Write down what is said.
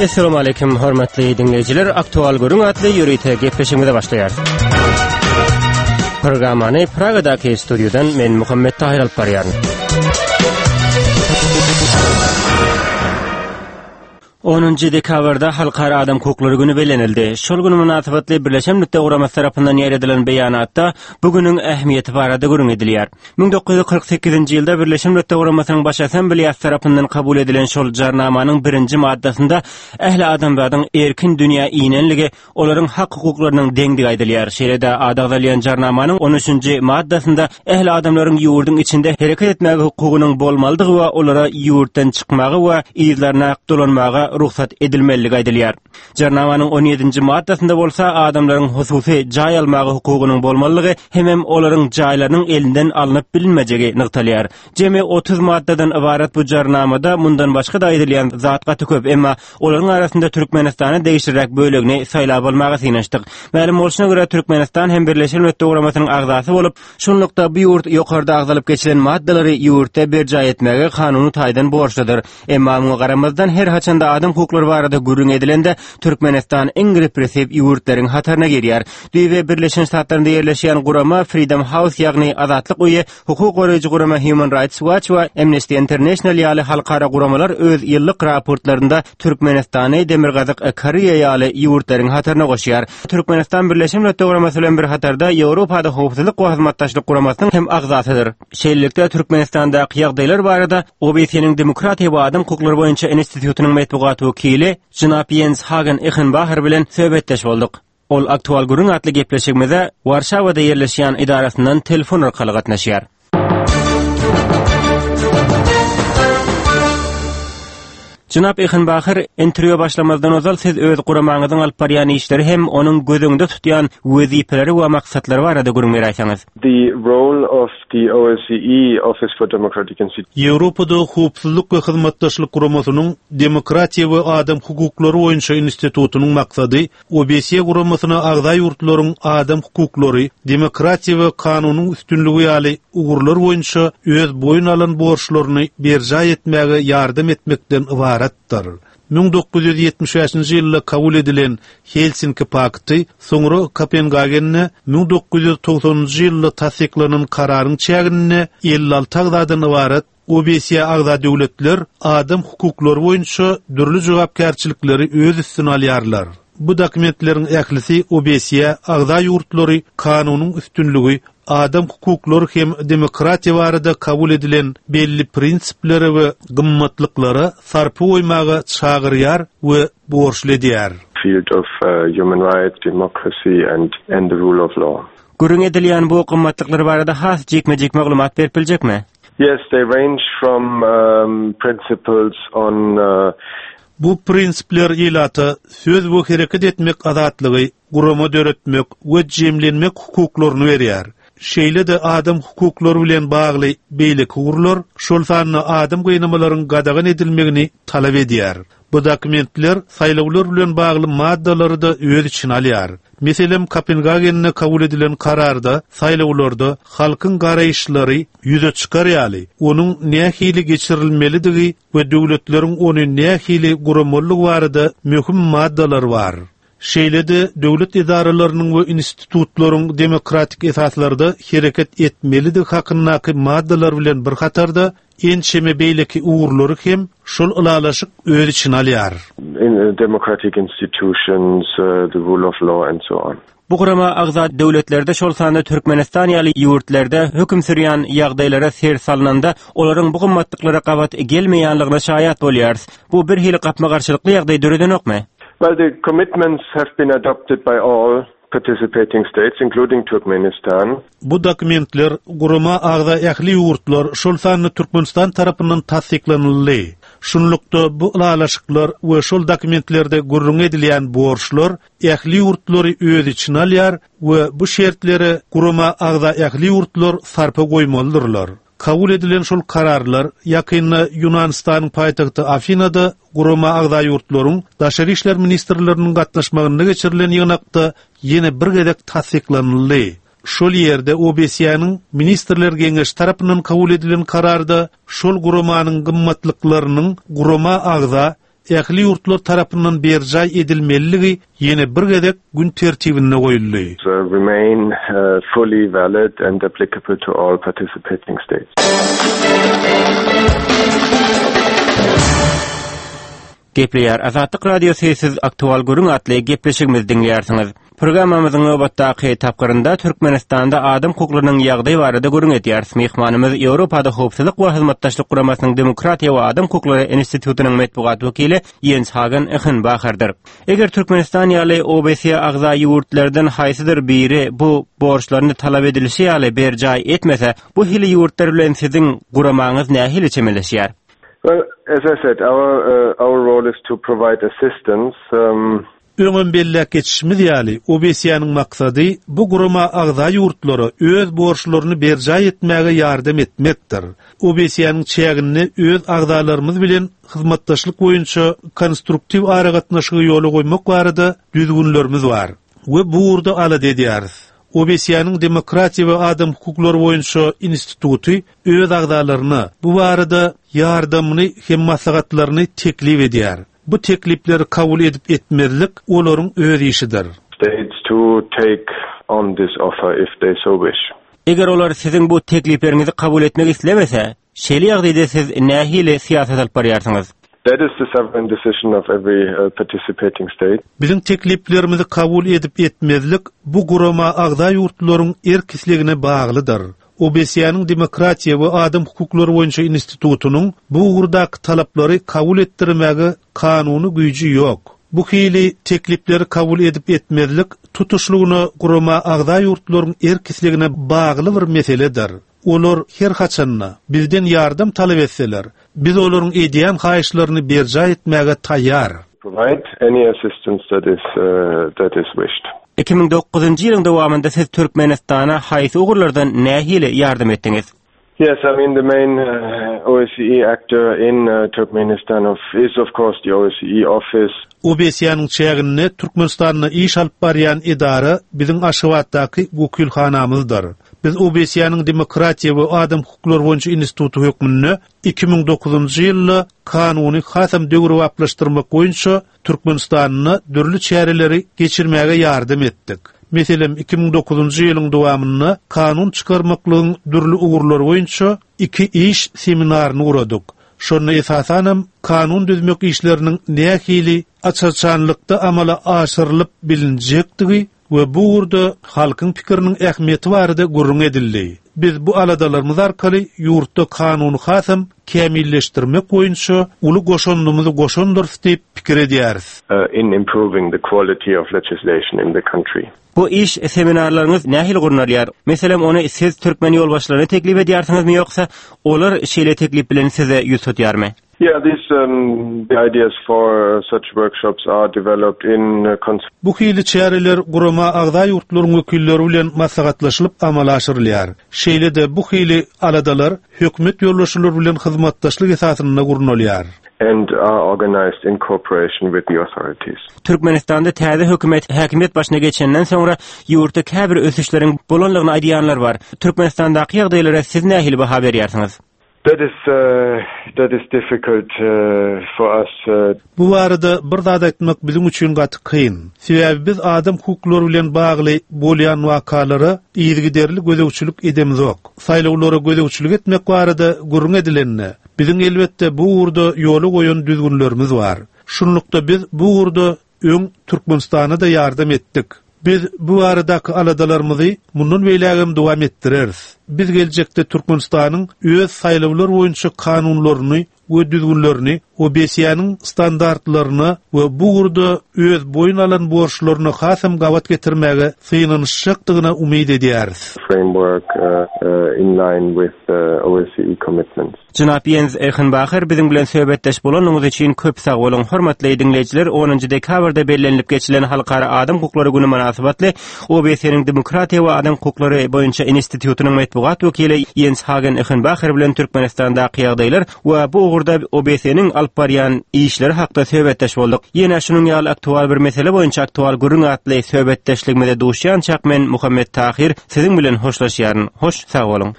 Essalamu aleýkum hormatly diňleýjiler. Aktual gürrüň atly ýörite gepleşigimize başlaýarys. Programmany Pragadaky studiýadan men Muhammet Tahir alyp barýaryn. Onunjy dekabrda Halkara adam hukuklary güni bellenildi. Şol gün mynasybetli Birleşen Milletler Guramasy tarapyndan ýaýradylan beýanatda bu günüň ähmiýeti barada gürrüň edilýär. 1948-nji ýylda Birleşen Milletler Guramasynyň Baş Assambleýasy tarapyndan kabul edilen şol Jarnamanyň birinji maddasynda ähli adamzadyň erkin dünýä inenligi, olaryň hak-hukuklarynyň deňdigi aýdylýar. Şeýle-de ady agzalýan Jarnamanyň on üçünji maddasynda ähli adamlaryň ýurduň içinde hereket etmäge hukugynyň bolmalydygy we olara ýurtdan çykmaga we yzlaryna dolanmaga rugsat edilmelidigi aýdylýar. Jarnamanyň on ýedinji maddasynda bolsa adamlaryň hususy jaý almaga hukugynyň bolmalydygy hemem olaryň jaýlarynyň elinden alnyp bilinmejegi nygtalýar. Jemi 30 maddadan ybarat bu jarnamada mundan başga-da aýdylýan zat gaty köp, emma olaryň arasynda Türkmenistana degişliräk bölegini saýlap almaga synanyşdyk. Mälim bolşuna görä, Türkmenistan hem Birleşen Milletler Guramasynyň agzasy bolup, şunlukda bu ýurt ýokarda agzalyp geçilen maddalary ýurtda berjaý etmäge kanuny taýdan borçludyr. Emma muňa garamazdan, her haçanda adam hukuklary barada gürrüň edilende, Türkmenistan iň repressiw ýurtlaryň hataryna girýär. Düýbi Birleşen Ştatlarynda ýerleşýän gurama Freedom House, ýagny Azatlyk öýi Hukuk goraýjy gurama Human Rights Watch we Amnesty International ýaly halkara guramalar öz ýyllyk raportlarynda Türkmenistany Demirgazyk Koreýa ýaly ýurtlaryň hataryna goşýar. Türkmenistan Birleşen Milletler Guramasy bilen bir hatarda Ýewropada Howpsuzlyk we Hyzmatdaşlyk Guramasynyň hem agzasydyr. Şeýlelikde, Türkmenistandaky ýagdaýlar barada OBSE-niň Demokratiýa we adam hukuklary boýunça institutynyň metbugat wekili jenap Ýens Hagen Ehenbaher bilen söhbetdeş bolduk. Ol Aktual gürrüň atly gepleşigimize Warşawada ýerleşýän edarasyndan telefon arkaly gatnaşýar. Jenap Ehenbaher, interwýua başlamazdan ozal siz öz guramaňyzyň alyp barýan işleri hem onuň göz öňünde tutýan wezipeleri we maksatlary barada gürrüň beräýseňiz. The role of the OSCE Office for Democratic Institutions. Ýewropada Howpsuzlyk we Hyzmatdaşlyk Guramasynyň Demokratiýa we adam hukuklary boýunça institutynyň maksady OBSE guramasyna agza ýurtlaryň adam hukuklary, demokratiýa we kanunyň üstünligi ýaly ugurlar boýunça öz boýun alan borçlaryny berjaý etmäge ýardam etmekden ybaratdyr. 1975-nji ýylda kabul edilen Helsinki pakty, soňra Kopengagende 1990-njy ýylda tassyklanan kararyň çäginde 56 agzadan ybarat OBSE agza döwletler adam hukuklary boýunça dürli jogapkärçilikleri öz üstüne alýarlar. Bu dokumentleriň ählisi OBSE agza ýurtlary kanunyň üstünligi, adam hukuklary hem demokratiýa barada kabul edilen belli prinsiplere we gymmatlyklara sarpa goýmaga çagyrýar we borçly edýär. field of human rights, democracy and and the rule of law. Gürrüň edilýän bu gymmatlyklar barada has jikme-jik maglumat berip biljekmi? Yes, they range from principles on. Bu prinsipler ilata söz we hereket etmek azatlygy, gurama döretmek we jemlenmek hukuklaryny berýär. Şeýle-de adam hukuklary bilen bagly beýleki ugurlar, şol sanda adam gynamalaryň gadagan edilmegini talap edýär. Bu dokumentler saýlawlar bilen bagly maddalary-da öz içine alýar. Meselem, Kopengagende kabul edilen kararda saýlawlarda halkyň garaýyşlary ýüze çykar ýaly, onuň nähili geçirilmelidigi we döwletleriň ony nähili guramalydygy barada möhüm maddalar bar. Şeýle-de döwlet edaralarynyň we institutlaryň demokratik esaslarda hereket etmelidigi hakyndaky maddalar bilen bir hatarda ençeme beýleki ugurlary hem şol ylalaşyk öz içine alýar. Democratic institutions, the rule of law and so on. Bu gurama agza döwletlerde, şol sanda Türkmenistan ýaly ýurtlarda höküm sürýän ýagdaýlara ser salnanda, olaryň bu gymmatlyklara gabat gelmeýänligine şaýat bolýarys. Bu birhili gapma-garşylykly ýagdaý döredenokmy? Well, the commitments have been adopted by all participating states, including Turkmenistan. Bu dokumentler gurama agza ähli ýurtlar, şol sanda Türkmenistan tarapyndan tassyklanyldy. Şunlukda, bu ylalaşyklar we şol dokumentlerde gürrüňi edilýän borçlar ähli ýurtlary öz içine alýar we bu şertlere gurama agza ähli ýurtlar sarpa goýmalydyrlar. Kabul edilen şol kararlar ýakynda Ýunanystanyň paýtagty Afinada gurama agza ýurtlaryň daşary işler ministrleriniň gatnaşmagynda geçirilen ýygnakda ýene bir gezek tassyklanyldy. Şol ýerde OBSE-niň Ministrler Geňeşi tarapyndan kabul edilen kararda şol guramanyň gymmatlyklarynyň gurama agza. ähli ýurtlar tarapyndan berjaý edilmeliligi ýene bir gezek gün tertibinde goýuldy. remain fully valid and applicable to all participating states. Gepleýär Azatlyk Radiosy siz Aktual gürrüň atly gepleşigimizi diňleýärsiňiz. Programmamyzyň nobatdaky tapgyrynda Türkmenistanda adam hukuklarynyň ýagdaýy barada gürrüň edýäris. Myhmanymyz Ýewropada Howpsuzlyk we Hyzmatdaşlyk Guramasynyň Demokratiýa we adam hukuklary institutynyň metbugat wekili Ýens Hagen Ehenbacherdir. Eger Türkmenistan ýaly OBSE agza ýurtlardan haýsydyr biri bu borçlaryny talap edilişi ýaly berjaý etmese, bu hili ýurtlar bilen siziň guramaňyz nähili çemeleşýär? Well, as I said, our uh, our role is to provide assistance. Um, Öňem belläp geçişimiz ýaly, OBSE-niň maksady bu gurama agza ýurtlara öz borçlaryny berjaý etmäge ýardam etmekdir. OBSE-niň çäginde öz agzalarymyz bilen hyzmatdaşlyk boýunça konstruktiw aragatnaşygy ýola goýmak barada düzgünlerimiz bar we bu ugurda alada edýäris. OBSE-niň Demokratiýa we adam hukuklary boýunça instituty öz agzalaryna bu barada ýardamyny hem maslahatlaryny teklip edýär. Bu teklipleri kabul edip-etmezlik olaryň öz işidir. States to take on this offer if they so wish. Eger olar siziň bu teklipleriňizi kabul etmek islemese, şeýle ýagdaýda siz nähili syýasat alyp barýarsyňyz? That is the sovereign decision of every participating state. Biziň tekliplerimizi kabul edip-etmezlik bu gurama agza ýurtlaryň erk-islegine baglydyr. OBSE-niň Demokratiýa we adam hukuklary boýunça institutynyň bu ugurdaky talaplary kabul etdirmäge kanuny güýji ýok. Bu hili teklipleri kabul edip-etmezlik tutuşlygyna gurama agza ýurtlaryň erk-islegine bagly bir meseledir. Olar her haçanda bizden ýardam talap etseler, biz olaryň edýän haýyşlaryny berjaý etmäge taýýar. Provide any assistance that is that is wished. 2009-njy ýylyň dowamynda siz Türkmenistana haýsy ugurlardan nähili ýardam etdiňiz? Yes, I mean the main OSCE actor in Turkmenistan of is of course the OSCE office. OBSE-niň çäginde Türkmenistanda iş alyp barýan edara biziň Aşgabatdaky wekilhanamyzdyr. Biz OBSE-niň Demokratiýa we adam hukuklary boýunça instituty hökmünde 2009-njy ýylda kanuny hasam döwrebaplaşdyrmak boýunça Türkmenistanda dürli çäreleri geçirmäge ýardam etdik. Meselem, 2009-njy ýylyň dowamynda kanun çykarmaklygyň dürli ugurlary boýunça iki iş seminaryny guradyk. Şonda esasanam kanun düzmek işleriniň nähili aç-açanlykda amala aşyrylyp bilinjekdigi we bu ugurda halkyň pikiriniň ähmiýeti barada gürrüň edildi. Biz bu aladalarymyz arkaly ýurtda kanuny hasam kämilleşdirmek boýunça uly goşandymyzy goşandyrys diýip pikir edýäris. in improving the quality of legislation in the country. Bu iş seminarlaryňyz nähili gurnalýar? Meselem, ony siz türkmen ýolbaşçylaryna teklip edýärsiňizmi ýoksa olar şeýle teklip bilen size ýüz tutýarmy? Yeah, these the ideas for such workshops are developed in Bu hili çäreler gurama agza ýurtlaryň wekilleri bilen maslahatlaşylyp amala aşyrylýar. Şeýle-de bu hili aladalar hökümet ýolbaşçylary bilen hyzmatdaşlyk esasynda gurnalýar. And are organized in cooperation with the authorities. Türkmenistanda täze hökümet häkimiýet başyna geçenden soňra ýurtda käbir ösüşleriň bolanlygyny aýdýanlar bar. Türkmenistandaky ýagdaýlara siz nähili baha berýärsiňiz? That is that is difficult for us. Bu barada bir zat aýtmak biziň üçin gaty kyn. Sebäbi biz adam hukuklary bilen bagly bolýan wakalara yzygiderli gözegçilik edemizok. Saýlawlara gözegçilik etmek barada gürrüň edilende, biziň elbetde bu ugurda ýola goýan düzgünlerimiz bar. Şunlukda biz bu ugurda Öň Türkmenistana-da ýardam etdik. Biz bu baradaky aladalarymyzy mundan beýlägem dowam etdireris. Biz geljekde Türkmenistanyň öz saýlawlar boýunça kanunlaryny we düzgünlerini OBSE-niň standartlaryna we bu ugurda öz boýun alan borçlaryna hasam gabat getirmäge synanyşjakdygyna umyt edýäris. framework in line with OSCE commitments. Jenap Ýens Ehenbaher biziň bilen söhbetdeş bolanyňyz üçin köp sag boluň. Hormatly diňleýjiler, onunjy dekabrda bellenilip geçilen Halkara adam hukuklary güni mynasybetli OBSE-niň Demokratiýa we adam hukuklary boýunça institutynyň metbugat wekili Ýens Hagen Ehenbaher bilen Türkmenistandaky ýagdaýlar we bu ugurda OBSE-niň alyp barýan işleri hakda söhbetdeş bolduk. Ýene şunuň ýaly aktual bir mesele boýunça Aktual gürrüň atly söhbetdeşligimize duşýançak men Muhammet Tahyr siziň bilen hoşlaşýaryn. Hoş sag boluň.